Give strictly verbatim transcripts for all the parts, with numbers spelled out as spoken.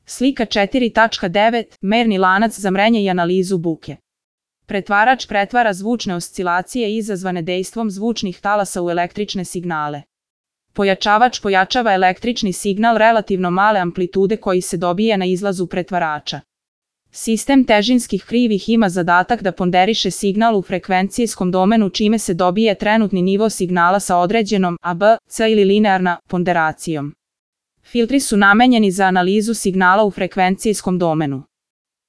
Slika četiri tačka devet. Merni lanac za mrenje i analizu buke. Pretvarač pretvara zvučne oscilacije izazvane dejstvom zvučnih talasa u električne signale. Pojačavač pojačava električni signal relativno male amplitude koji se dobije na izlazu pretvarača. Sistem težinskih krivih ima zadatak da ponderiše signal u frekvencijskom domenu čime se dobije trenutni nivo signala sa određenom A B C ili linearna ponderacijom. Filtri su namenjeni za analizu signala u frekvencijskom domenu.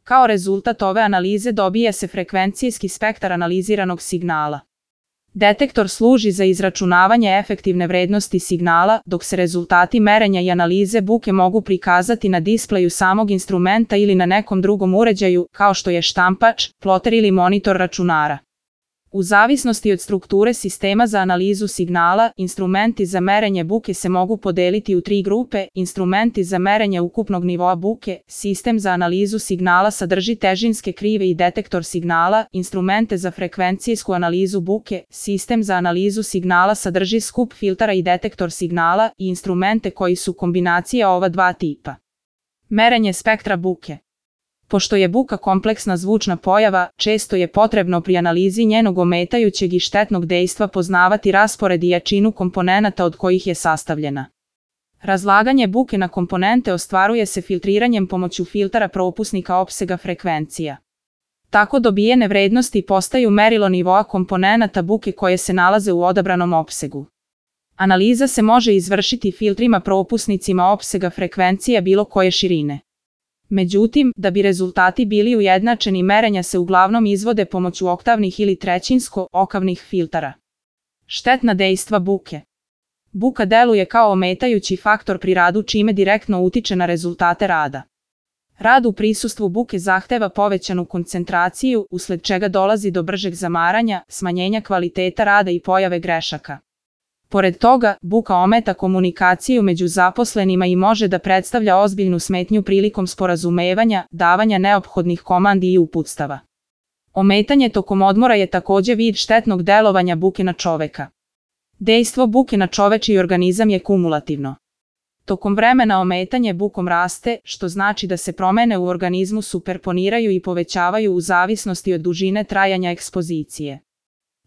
Kao rezultat ove analize dobije se frekvencijski spektar analiziranog signala. Detektor služi za izračunavanje efektivne vrednosti signala, dok se rezultati merenja i analize buke mogu prikazati na displeju samog instrumenta ili na nekom drugom uređaju, kao što je štampač, ploter ili monitor računara. U zavisnosti od strukture sistema za analizu signala, instrumenti za merenje buke se mogu podeliti u tri grupe: instrumenti za merenje ukupnog nivoa buke, sistem za analizu signala sadrži težinske krive i detektor signala, instrumente za frekvencijsku analizu buke, sistem za analizu signala sadrži skup filtara i detektor signala i instrumente koji su kombinacija ova dva tipa. Merenje spektra buke. Pošto je buka kompleksna zvučna pojava, često je potrebno pri analizi njenog ometajućeg i štetnog dejstva poznavati raspored i jačinu komponenata od kojih je sastavljena. Razlaganje buke na komponente ostvaruje se filtriranjem pomoću filtera propusnika opsega frekvencija. Tako dobijene vrednosti postaju merilo nivoa komponenata buke koje se nalaze u odabranom opsegu. Analiza se može izvršiti filtrima propusnicima opsega frekvencija bilo koje širine. Međutim, da bi rezultati bili ujednačeni, merenja se uglavnom izvode pomoću oktavnih ili trećinsko-okavnih filtara. Štetna dejstva buke. Buka deluje kao ometajući faktor pri radu čime direktno utiče na rezultate rada. Rad u prisustvu buke zahteva povećanu koncentraciju, usled čega dolazi do bržeg zamaranja, smanjenja kvaliteta rada i pojave grešaka. Pored toga, buka ometa komunikaciju među zaposlenima i može da predstavlja ozbiljnu smetnju prilikom sporazumevanja, davanja neophodnih komandi i uputstava. Ometanje tokom odmora je takođe vid štetnog delovanja buke na čoveka. Dejstvo buke na čovečiji organizam je kumulativno. Tokom vremena ometanje bukom raste, što znači da se promene u organizmu superponiraju i povećavaju u zavisnosti od dužine trajanja ekspozicije.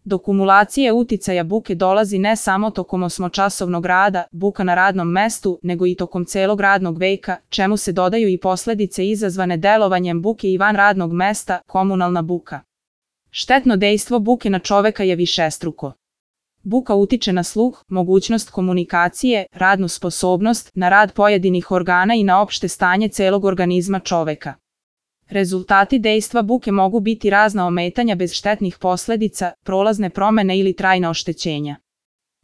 Do kumulacije uticaja buke dolazi ne samo tokom osmočasovnog rada, buka na radnom mestu, nego i tokom celog radnog veka, čemu se dodaju i posledice izazvane delovanjem buke i van radnog mesta, komunalna buka. Štetno dejstvo buke na čoveka je višestruko. Buka utiče na sluh, mogućnost komunikacije, radnu sposobnost, na rad pojedinih organa i na opšte stanje celog organizma čoveka. Rezultati dejstva buke mogu biti razna ometanja bez štetnih posledica, prolazne promene ili trajna oštećenja.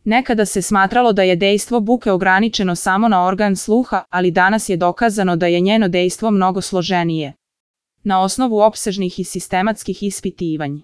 Nekada se smatralo da je dejstvo buke ograničeno samo na organ sluha, ali danas je dokazano da je njeno dejstvo mnogo složenije. Na osnovu opsežnih i sistematskih ispitivanja,